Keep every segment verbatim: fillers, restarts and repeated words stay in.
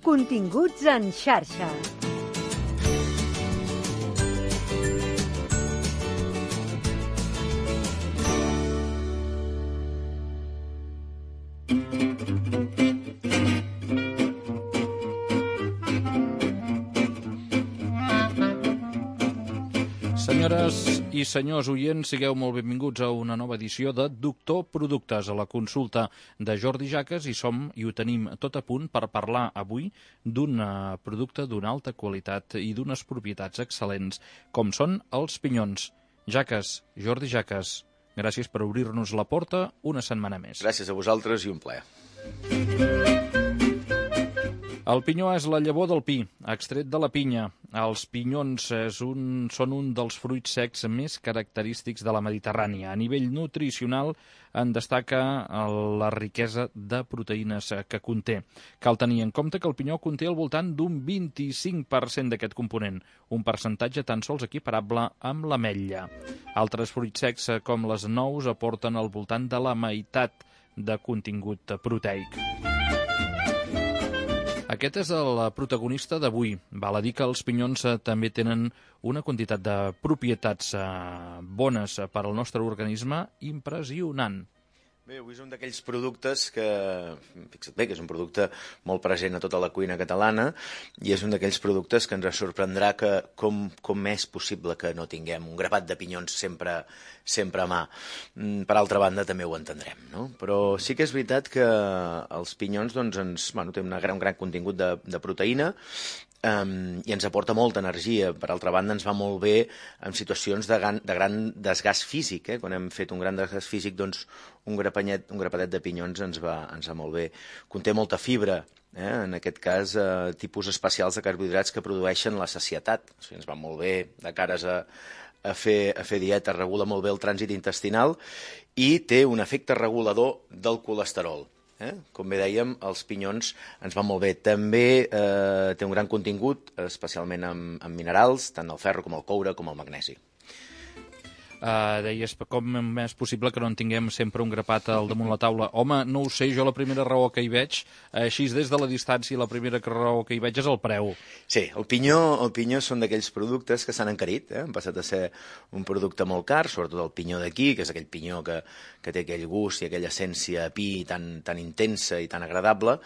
Continguts en xarxa. Senyores i senyors oients, sigueu molt benvinguts a una nova edició de Doctor Productes, a la consulta de Jordi Jaques, i som i ho tenim tot a punt per parlar avui d'un producte d'una alta qualitat i d'unes propietats excel·lents, com són els pinyons. Jaques, Jordi Jaques, gràcies per obrir-nos la porta una setmana més. Gràcies a vosaltres i un plaer. El pinyó és la llavor del pi, extret de la pinya. Els pinyons és un, són un dels fruits secs més característics de la Mediterrània. A nivell nutricional en destaca la riquesa de proteïnes que conté. Cal tenir en compte que el pinyó conté al voltant d'un vint-i-cinc per cent d'aquest component, un percentatge tan sols equiparable amb l'ametlla. Altres fruits secs, com les nous, aporten al voltant de la meitat de contingut proteic. Aquest és el protagonista d'avui. Val a dir que els pinyons també tenen una quantitat de propietats bones per al nostre organisme impressionant. Bé, avui és un d'aquells productes que, fixa't bé, que és un producte molt present a tota la cuina catalana i és un d'aquells productes que ens sorprendrà que com, com és possible que no tinguem un grapat de pinyons sempre, sempre a mà. Per altra banda, també ho entendrem, no? Però sí que és veritat que els pinyons doncs, ens, bueno, tenen gran, un gran contingut de, de proteïna, Um, i ens aporta molta energia. Per altra banda, ens va molt bé en situacions de gran, de gran desgast físic. Eh? Quan hem fet un gran desgast físic, doncs un, grapanyet, un grapadet de pinyons ens va, ens va molt bé. Conté molta fibra, eh? En aquest cas, eh, tipus especials de carbohidrats que produeixen la sacietat. O sigui, ens va molt bé de cares a, a, fer, a fer dieta, regula molt bé el trànsit intestinal i té un efecte regulador del colesterol. Eh? Com bé dèiem, els pinyons ens van molt bé. També eh, té un gran contingut, especialment en, en minerals, tant el ferro com el coure com el magnesi. Uh, deies, com és possible que no en tinguem sempre un grapat al damunt la taula? Home, no ho sé, jo la primera raó que hi veig, així des de la distància, la primera raó que hi veig és el preu. Sí, el pinyó, el pinyó són d'aquells productes que s'han encarit, eh? Han passat a ser un producte molt car, sobretot el pinyó d'aquí, que és aquell pinyó que, que té aquell gust i aquella essència a pi tan, tan intensa i tan agradable,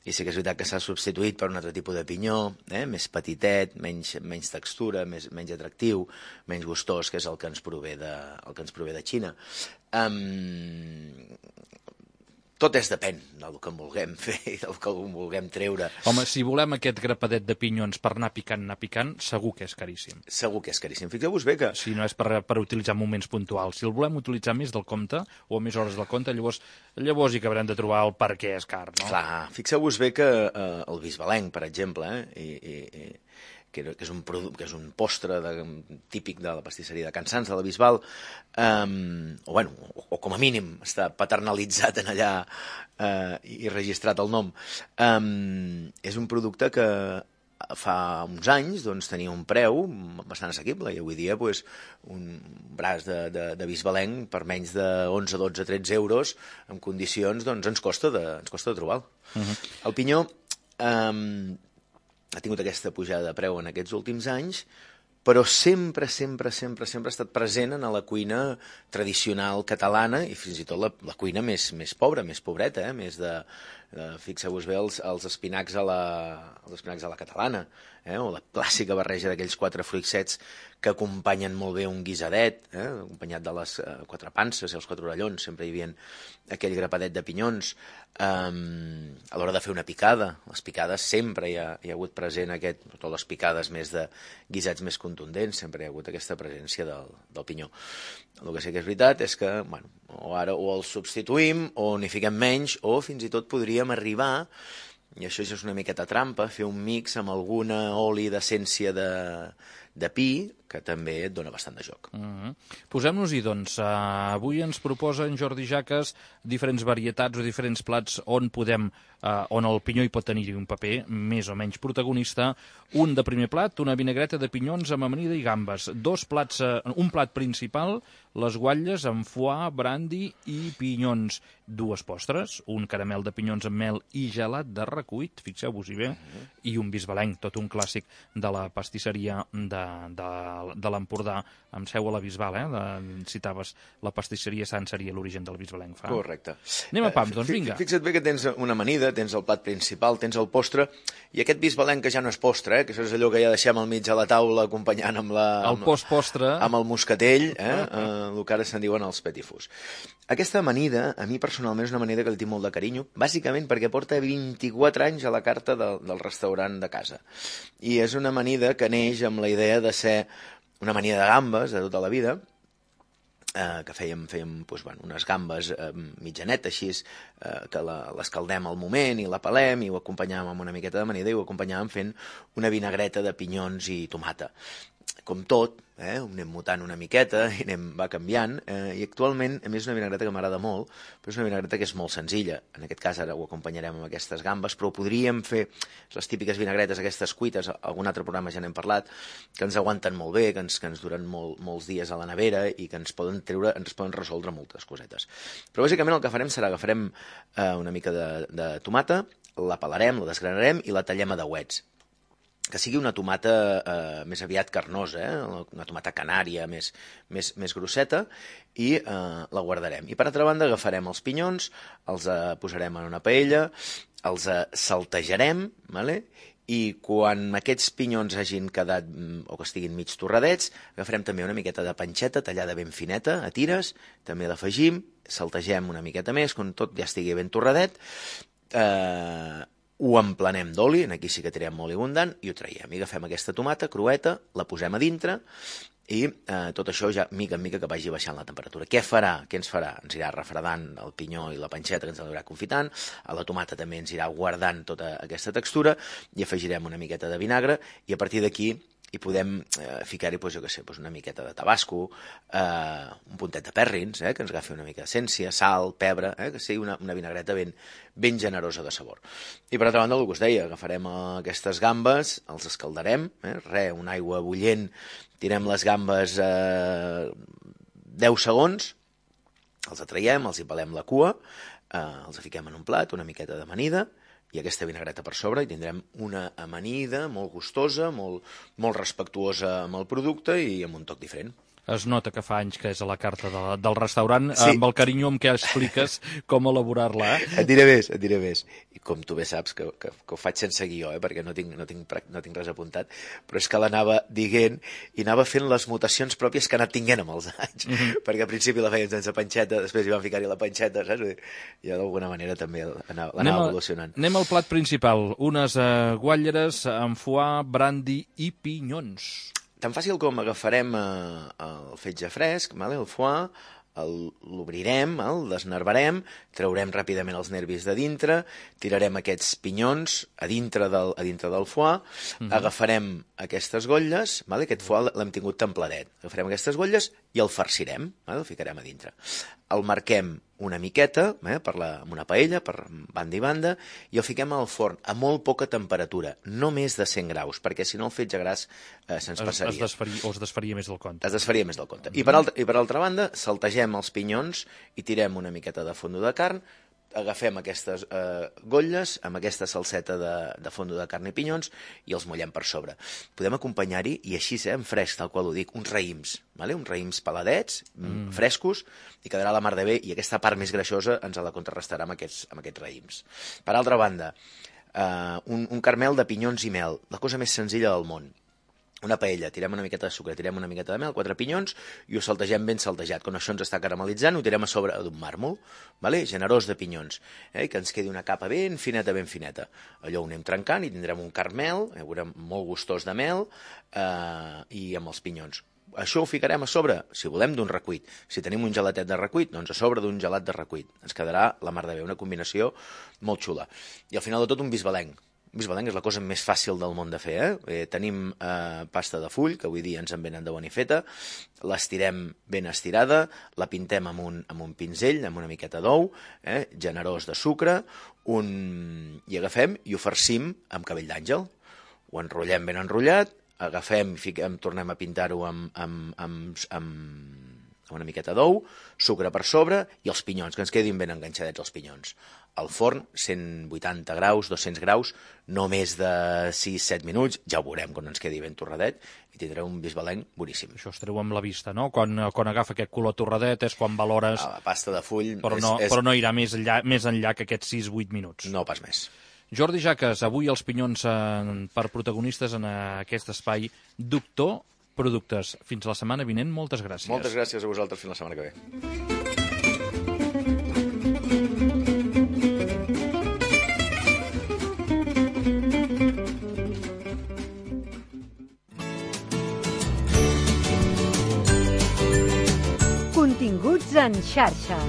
i sí que és veritat que s'ha substituït per un altre tipus de pinyó, eh? Més petitet, menys, menys textura, més, menys atractiu, menys gustós, que és el que ens prové de De, el que ens prové de Xina. Um, tot és depèn del que en vulguem fer i del que en vulguem treure. Home, si volem aquest grapadet de pinyons per anar picant, anar picant, segur que és caríssim. Segur que és caríssim. Fixeu-vos bé que... Si no és per, per utilitzar moments puntuals. Si el volem utilitzar més del compte o més hores del compte, llavors, llavors hi acabarem de trobar el per què és car, no? Clar, fixeu-vos bé que eh, el bisbalenc, per exemple, eh, i, i, i que és un, que és un postre de, típic de la pastisseria de Can Sants, de la Bisbal, um, o, bueno, o, o com a mínim està paternalitzat en allà uh, i registrat el nom. Um, és un producte que fa uns anys doncs, tenia un preu bastant assequible i avui dia pues, un braç de, de, de bisbalenc per menys de onze, dotze, tretze euros en condicions doncs, ens, costa de, ens costa de trobar. Uh-huh. El pinyó... Um, ha tingut aquesta pujada de preu en aquests últims anys, però sempre, sempre, sempre, sempre ha estat present en la cuina tradicional catalana i fins i tot la, la cuina més, més pobra, més pobreta, eh? Més de, de fixeu-vos bé els, els, espinacs a la, els espinacs a la catalana, eh? O la clàssica barreja d'aquells quatre fruits secs que acompanyen molt bé un guisadet, eh? Acompanyat de les eh, quatre panses i els quatre orellons, sempre hi havia aquell grapadet de pinyons. Um, a l'hora de fer una picada, les picades sempre hi ha, hi ha hagut present aquest, totes les picades més de guisats més contundents, sempre hi ha hagut aquesta presència del, del pinyó. El que sí que és veritat és que, bueno, o ara o el substituïm, o n'hi fiquem menys, o fins i tot podríem arribar, i això ja és una miqueta trampa, fer un mix amb alguna oli d'essència de, de pi, que també et dona bastant de joc. Uh -huh. Posem-nos-hi, doncs. Uh, avui ens proposa en Jordi Jaques diferents varietats o diferents plats on podem, uh, on el pinyó hi pot tenir un paper més o menys protagonista. Un de primer plat, una vinagreta de pinyons amb amanida i gambes. Dos plats, uh, un plat principal, les guatlles amb foie, brandi i pinyons. Dues postres, un caramel de pinyons amb mel i gelat de recuit, fixeu-vos-hi bé, uh -huh. i un bisbalenc, tot un clàssic de la pastisseria de, de de l'Empordà, amb seu a la Bisbal, eh? De, citaves la pastisseria Sant seria l'origen del bisbalenc. Fa. Correcte. Anem a pams, doncs vinga. Fixa't bé que tens una amanida, tens el plat principal, tens el postre, i aquest bisbalenc que ja no és postre, eh? Que això és allò que ja deixem al mig de la taula acompanyant amb la... El post-postre. Amb el moscatell, eh? eh el que ara se'n diuen els petit fours. Aquesta amanida, a mi personalment, és una amanida que li tinc molt de carinyo, bàsicament perquè porta vint-i-quatre anys a la carta de, del restaurant de casa. I és una amanida que neix amb la idea de ser una amanida de gambes de tota la vida, eh, que fèiem, fèiem doncs, bueno, unes gambes eh, mitjanet, així, eh, que l'escaldem al moment i la pelem i ho acompanyàvem amb una miqueta d'amanida i ho acompanyàvem fent una vinagreta de pinyons i tomata. Com tot, eh, ho anem mutant una miqueta i anem, va canviant, eh, i actualment, a més, és una vinagreta que m'agrada molt, però és una vinagreta que és molt senzilla. En aquest cas ara ho acompanyarem amb aquestes gambes, però podríem fer les típiques vinagretes, aquestes cuites, algun altre programa ja n'hem parlat, que ens aguanten molt bé, que ens, que ens duren molt, molts dies a la nevera i que ens poden treure, ens poden resoldre moltes cosetes. Però bàsicament el que farem serà agafarem eh, una mica de, de tomata, la pelarem, la desgranarem i la tallem a dauets. Que sigui una tomata eh, més aviat carnosa, eh? Una tomata canària més, més, més grosseta, i eh, la guardarem. I per altra banda agafarem els pinyons, els eh, posarem en una paella, els eh, saltejarem, vale? I quan aquests pinyons hagin quedat o que estiguin mig torradets, agafarem també una miqueta de panxeta tallada ben fineta, a tires, també l'afegim, saltegem una miqueta més, quan tot ja estigui ben torradet, eh, ho emplanem d'oli, aquí sí que tirem molt abundant, i ho traiem. I agafem aquesta tomata crueta, la posem a dintre, i eh, tot això ja mica en mica que vagi baixant la temperatura. Què farà? Què ens farà? Ens irà refredant el pinyó i la panxeta, que ens anirà confitant, a la tomata també ens irà guardant tota aquesta textura, i afegirem una miqueta de vinagre, i a partir d'aquí i podem eh, ficar-hi, doncs, jo què sé, doncs una miqueta de tabasco, eh, un puntet de pèrrins, eh, que ens agafi una mica d'essència, sal, pebre, eh, que sigui una, una vinagreta ben, ben generosa de sabor. I per altra banda, el que us deia, agafarem aquestes gambes, els escaldarem, eh, re, una aigua bullent, tirem les gambes eh, deu segons, els atraiem, els hi pelem la cua, eh, els fiquem en un plat, una miqueta d'amanida, i aquesta vinagreta per sobre, i tindrem una amanida molt gustosa, molt, molt respectuosa amb el producte i amb un toc diferent. Es nota que fa anys que és a la carta de, del restaurant, sí. Amb el carinyo amb què expliques com elaborar-la. Eh? Et diré més, et diré més. I com tu bé saps, que, que, que ho faig sense guió, eh, perquè no tinc, no, tinc, no tinc res apuntat, però és que l'anava dient i anava fent les mutacions pròpies que ha anat tinguent amb els anys. Mm -hmm. Perquè al principi la fèiem sense panxeta, després hi vam ficar-hi la panxeta, saps? I d'alguna manera també l'anava evolucionant. Anem al plat principal, unes uh, guatlleres amb foie, brandi i pinyons. Tan fàcil com agafarem eh, el fetge fresc, vale, el foie, l'obrirem, el desnervarem, traurem ràpidament els nervis de dintre, tirarem aquests pinyons a dintre del, a dintre del foie, uh-huh. Agafarem aquestes gotlles, vale, aquest foie l'hem tingut templadet, agafarem aquestes gotlles i el farcirem, vale, el ficarem a dintre. El marquem una miqueta, eh, per la, amb una paella, per banda i banda, i el fiquem al forn a molt poca temperatura, no més de cent graus, perquè si no el fetge gras eh, se'ns passaria. Es desfaria, o es desfaria més del compte. Es desfaria més del compte. I per, altra, i per altra banda, saltegem els pinyons i tirem una miqueta de fondo de carn, agafem aquestes eh, gotlles amb aquesta salseta de, de fondo de carn i pinyons i els mullem per sobre. Podem acompanyar-hi, i així, eh, en fresc, tal qual ho dic, uns raïms, vale? uns raïms peladets, mm. frescos, i quedarà la mar de bé, i aquesta part més greixosa ens la contrarrestarà amb aquests, amb aquests raïms. Per altra banda, eh, un, un carmel de pinyons i mel, la cosa més senzilla del món. Una paella, tirem una miqueta de sucre, tirem una miqueta de mel, quatre pinyons, i ho saltegem ben saltejat. Quan això ens està caramelitzant, ho tirem a sobre d'un màrmol, vale? Generós de pinyons, eh? que ens quedi una capa ben fineta, ben fineta. Allò ho anem trencant i tindrem un carmel, eh? veurem molt gustós de mel, eh? i amb els pinyons. Això ho ficarem a sobre, si volem, d'un recuit. Si tenim un gelatet de recuit, doncs a sobre d'un gelat de recuit. Ens quedarà la mar de bé, una combinació molt xula. I al final de tot un bisbalenc. bisbalenc és la cosa més fàcil del món de fer, eh? eh tenim eh, pasta de full, que avui dia ens en venen de bona i feta, l'estirem ben estirada, la pintem amb un, amb un pinzell, amb una miqueta d'ou, eh? generós de sucre, un... i agafem i ho farcim amb cabell d'àngel. Ho enrotllem ben enrotllat, agafem i fiquem, tornem a pintar-ho amb, amb, amb, amb una miqueta d'ou, sucre per sobre i els pinyons, que ens quedin ben enganxadets els pinyons. Al forn, cent vuitanta graus, dos-cents graus, no més de sis set minuts, ja ho veurem quan ens quedi ben torradet, i tindreu un bisbalenc boníssim. Això es treu amb la vista, no? Quan, quan agafa aquest color torradet és quan valores... La pasta de full... Però no, és, és... però no irà més enllà, més enllà que aquests sis vuit minuts. No pas més. Jordi Jaques, avui els pinyons eh, per protagonistes en aquest espai. Doctor Productes. Fins la setmana vinent, moltes gràcies. Moltes gràcies a vosaltres, fins la setmana que ve. Continguts en xarxa.